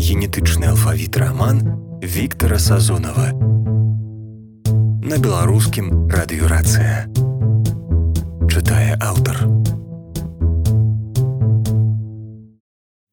генетычны алфавіт раман Віктара Сазонава. На беларускім радыёрацыя. Чытае аўтар.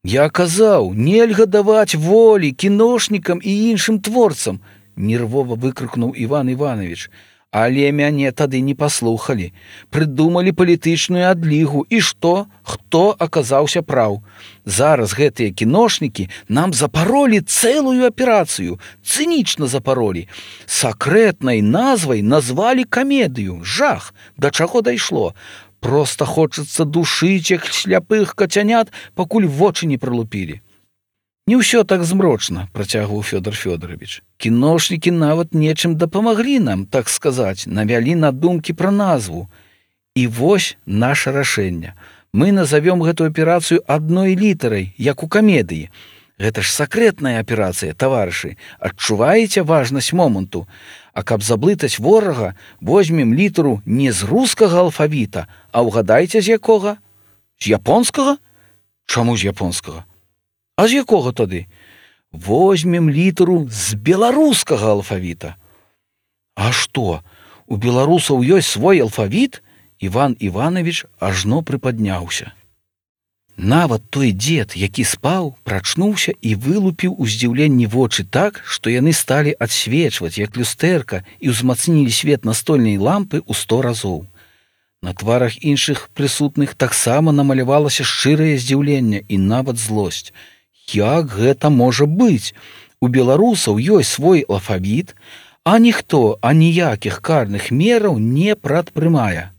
Я казаў, нельга даваць волі кіношнікам і іншым творцам, нервова выкрыкнуў Іван Іванович. Але мяне тады не паслухалі. Прыдумалі палітычную адлігу. І што? Хто аказаўся праў? Зараз гэтыя кіношнікі нам запаролі цэлую аперацыю. Цынічна запаролі. Сакрэтнай назвай назвалі камедыю. Жах! Да чаго дайшло? Проста хочацца душыць як сляпых кацянят, пакуль вочы не прылупілі. Не ўсё так змрочна, працягваў Фёдор Фёдорович. Кіношнікі нават нечым дапамаглі нам, так сказаць, навялі на думкі пра назву. І вось наша рашэнне. Мы назовём гэту аперацыю адной літарай, як у камедыі. Гэта ж сакрэтная аперацыя, таварышы. Адчуваеце важнасць моманту? А каб заблытаць ворага, возьмем літару не з рускага алфавіта, а ўгадайце з якога? З японскага? Чаму з японскага? А з якога тады? Возьмем літару з беларускага алфавіта. А што, у беларусаў ёсць свой алфавіт? Іван Іванович ажно прыпадняўся. Нават той дзед, які спаў, прачнуўся і вылупіў у здзіўленні вочы так, што яны сталі адсвечваць, як люстэрка, і ўзмацнілі свет настольнай лампы ў 100 разоў. На тварах іншых прысутных таксама намалявалася шчырае здзіўленне і нават злосць. Як гэта можа быць? У беларусаў ёсць свой алфавіт, а ніхто аніякіх карных мераў не прадпрымае.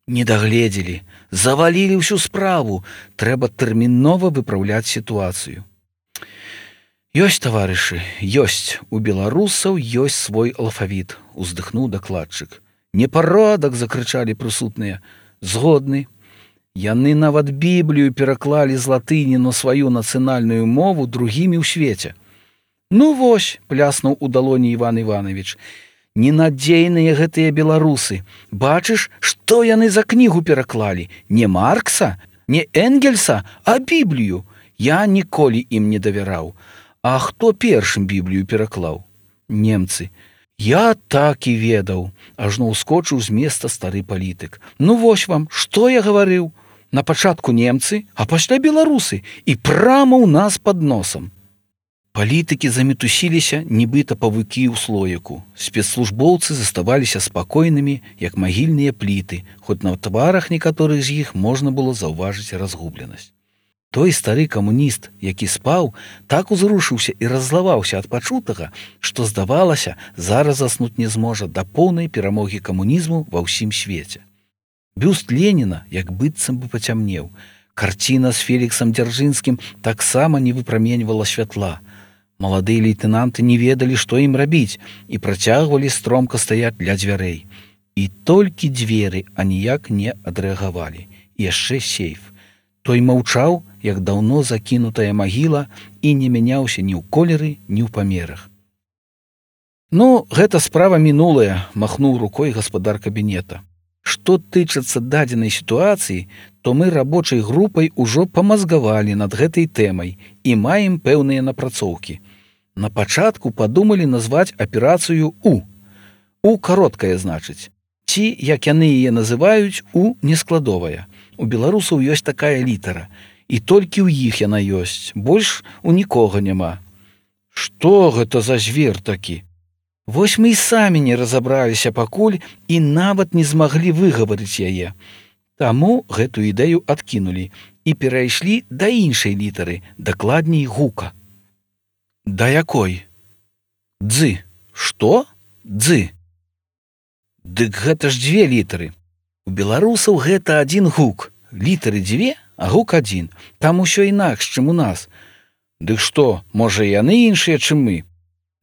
Не дагледзелі, завалілі ўсю справу, трэба тэрмінова выпраўляць сітуацыю. Ёсць, таварышы, ёсць, у беларусаў ёсць свой алфавіт, уздыхнуў дакладчык. Непарадак, закрычалі прысутныя. Згодны. Яны нават Біблію пераклалі з латыні на сваю нацыянальную мову другімі ў свеце. Ну вось, пляснуў у далоні Іван Іванович, ненадзейныя гэтыя беларусы. Бачыш, што яны за кнігу пераклалі? Не Маркса, не Энгельса, а Біблію. Я ніколі ім не давяраў. А хто першым Біблію пераклаў? Немцы. Я так і ведаў, ажно ўскочыў з места стары палітык. Ну вось вам, што я гаварыў? На пачатку немцы, а пасля беларусы, і прама ў нас пад носам. Палітыкі замітусіліся, нібыта павукі ў слоіку. Спецслужбоўцы заставаліся спакойнымі, як магільныя пліты, хоць на тварах некаторых з іх можна было заўважыць разгубленасць. Той стары камуніст, які спаў, так узрушыўся і раззлаваўся ад пачутага, што, здавалася, зараз заснуць не зможа да поўнай перамогі камунізму ва ўсім свеце. Бюст Леніна як быццам бы пацямнеў. Карціна з Феліксам Дзяржынскім таксама не выпраменьвала святла. Маладыя лейтэнанты не ведалі, што ім рабіць, і працягвалі стромка стаяць ля дзвярэй. І толькі дзверы аніяк не адрэагавалі. І яшчэ сейф. Той маўчаў, як даўно закінутая магіла, і не мяняўся ні ў колеры, ні ў памерах. Ну, гэта справа мінулая, махнуў рукой гаспадар кабінета. Што тычыцца дадзенай сітуацыі, то мы рабочай групай ужо памазгавалі над гэтай тэмай і маем пэўныя напрацоўкі. На пачатку падумалі назваць аперацыю У. У кароткая, значыць. Ці, як яны яе называюць, У нескладовая. У беларусаў ёсць такая літара. І толькі ў іх яна ёсць. Больш у нікога няма. Што гэта за звер такі? Вось мы і самі не разабраліся пакуль і нават не змаглі выгаварыць яе. Таму гэту ідэю адкінулі і перайшлі да іншай літары, дакладней гука. Да якой? Дзы. Што? Дзы. Дык гэта ж 2 літары. У беларусаў гэта адзін гук. Літары 2, а гук 1. Там усё інакш, чым у нас. Дык што, можа, яны іншыя, чым мы?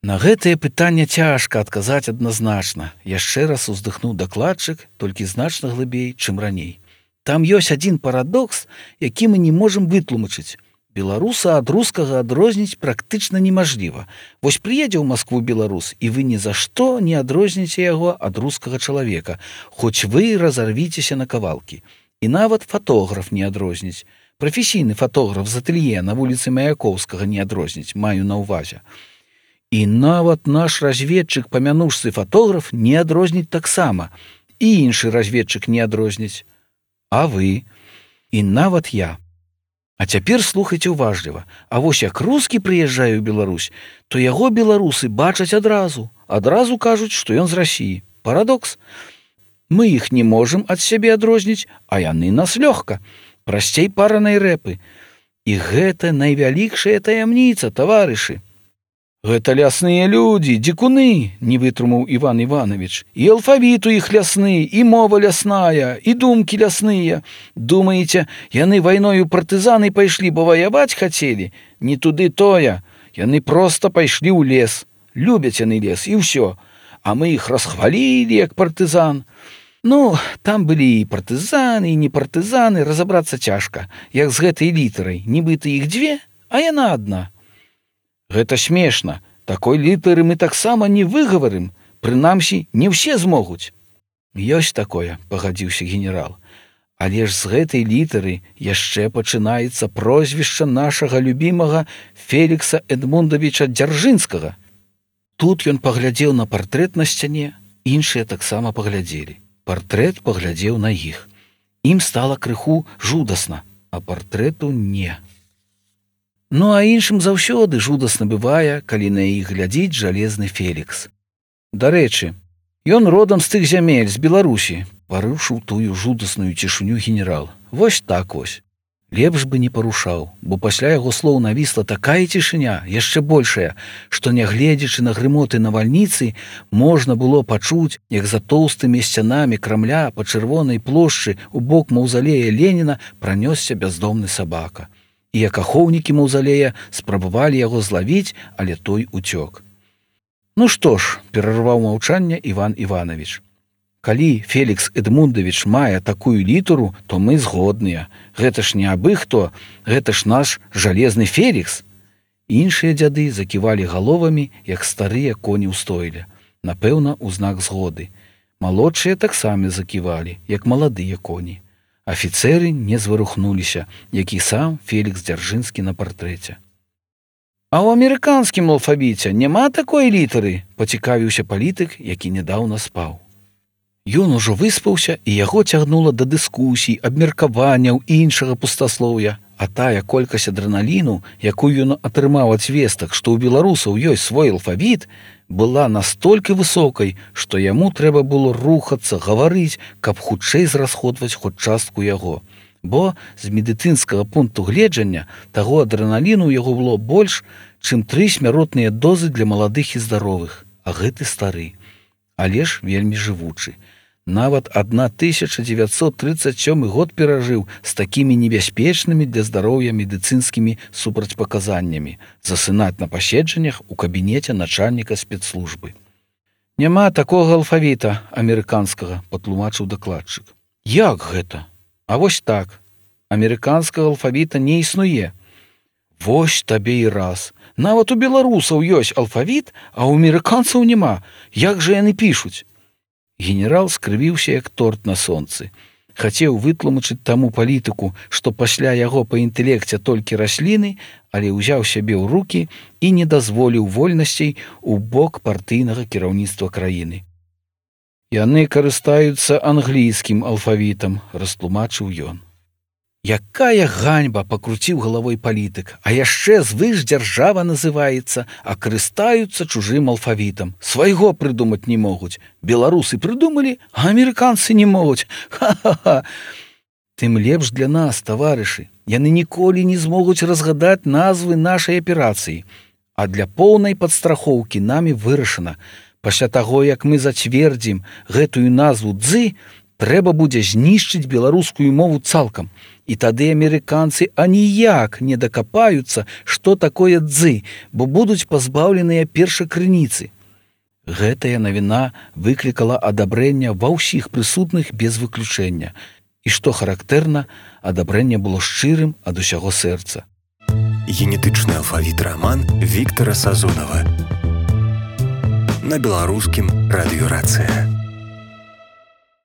На гэтае пытанне цяжка адказаць адназначна. Яшчэ раз уздыхнуў дакладчык, толькі значна глыбей, чым раней. Там ёсць адзін парадокс, які мы не можам вытлумачыць. Беларуса ад рускага адрозніць практычна немажліва. Вось прыедзе ў Маскву беларус, і вы ні за што не адрозніце яго ад рускага чалавека, хоць вы разарвіцеся на кавалкі. І нават фатограф не адрозніць. Прафесійны фатограф з атэлье на вуліцы Маяковскага не адрозніць, маю на ўвазе. І нават наш разведчык, памянуўшы фатограф, не адрозніць таксама. І іншы разведчык не адрозніць. А вы? І нават я. А цяпер слухайце уважліва. А вось як рускі прыязджае ў Беларусь, то яго беларусы бачаць адразу. Адразу кажуць, што ён з Расіі. Парадокс. Мы іх не можам ад сябе адрозніць, а яны нас лёгка. Прасцей паранай рэпы. І гэта найвялікшая таямніца, таварышы. Гэта лясныя людзі, дзікуны, не вытрымаў Іван Іванович. І алфавіт у іх лясны, і мова лясная, і думкі лясныя. Думаеце, яны вайною партызаны пайшлі, бо ваяваць хацелі? Не туды тое. Яны проста пайшлі ў лес. Любяць яны лес, і ўсё. А мы іх расхвалілі, як партызан. Ну, там былі і партызаны, і не партызаны, разабрацца цяжка. Як з гэтай літарай, нібыта іх дзве, а яна адна. Гэта смешна. Такой літары мы таксама не выгаварым. Прынамсі, не ўсе змогуць. Ёсць такое, пагадзіўся генерал. Але ж з гэтай літары яшчэ пачынаецца прозвішча нашага любімага Фелікса Эдмундавіча Дзяржынскага. Тут ён паглядзеў на партрэт на сцяне, іншыя таксама паглядзелі. Партрэт паглядзеў на іх. Ім стала крыху жудасна, а партрэту не. Ну а іншым заўсёды жудасна бывае, калі на іх глядзіць жалезны Фелікс. Дарэчы, ён родам з тых зямель, з Беларусі, парушыў тую жудасную цішыню генерал. Вось так вось. Лепш бы не парушаў, бо пасля яго слоў навісла такая цішыня, яшчэ большая, што, нягледзячы на грымоты навальніцы, можна было пачуць, як за тоўстымі сцянамі Крамля па чырвонай плошчы у бок маўзалея Леніна пранёсся бяздомны сабака. І як ахоўнікі маўзалея спрабавалі яго злавіць, але той уцёк. Ну што ж, перарваў маўчанне Іван Іванович. Калі Фелікс Эдмундавіч мае такую літару, то мы згодныя. Гэта ж не абы хто, гэта ж наш жалезны Фелікс. Іншыя дзяды заківалі галовамі, як старыя коні ў стойле. Напэўна, у знак згоды. Малодшыя таксама заківалі, як маладыя коні. Афіцэры не зварухнуліся, як і сам Фелікс Дзяржынскі на партрэце. А ў амерыканскім алфавіце няма такой літары, пацікавіўся палітык, які нядаўна спаў. Ён ужо выспаўся, і яго цягнула да дыскусій, абмеркаванняў і іншага пустаслоўя, а тая колькасць адрэналіну, якую ён атрымаў ад звестак, што ў беларусаў ёсць свой алфавіт, была настолькі высокай, што яму трэба было рухацца, гаварыць, каб хутчэй зрасходваць хоць частку яго. Бо з медыцынскага пункту гледжання таго адрэналіну ў яго было больш, чым 3 смяротныя дозы для маладых і здаровых, а гэты стары, але ж вельмі жывучы. Нават 1937 год перажыў з такімі небяспечнымі для здароўя медыцынскімі супрацьпаказаннямі засынаць на паседжаннях у кабінеце начальніка спецслужбы. Няма такога алфавіта амерыканскага, патлумачыў дакладчык. Як гэта? А вось так. Амерыканскага алфавіта не існуе. Вось табе і раз. Нават у беларусаў ёсць алфавіт, а ў амерыканцаў няма. Як жа яны пішуць? Генерал скрывіўся, як торт на сонцы. Хацеў вытлумачыць таму палітыку, што пасля яго па інтэлекце толькі расліны, але ўзяў сябе ў рукі і не дазволіў вольнасцей у бок партыйнага кіраўніцтва краіны. Яны карыстаюцца англійскім алфавітам, растлумачыў ён. Якая ганьба, пакруціў галавой палітык, а яшчэ звышдзяржава называецца, а карыстаюцца чужым алфавітам. Свайго прыдумаць не могуць. Беларусы прыдумалі, а амерыканцы не могуць. Ха-ха-ха. Тым лепш для нас, таварышы. Яны ніколі не змогуць разгадаць назвы нашай аперацыі. А для поўнай падстрахоўкі намі вырашана. Пасля таго, як мы зацвердзім гэтую назву «дзы», трэба будзе знішчыць беларускую мову цалкам. І тады амерыканцы аніяк не дакапаюцца, што такое «дзы», бо будуць пазбаўленыя першакрыніцы. Гэтая навіна выклікала адабрэнне ва ўсіх прысутных без выключэння. І што характэрна, адабрэнне было шчырым ад усяго сэрца. Генетычны алфавіт раман Віктара Сазонава. На беларускім радыёрацыя.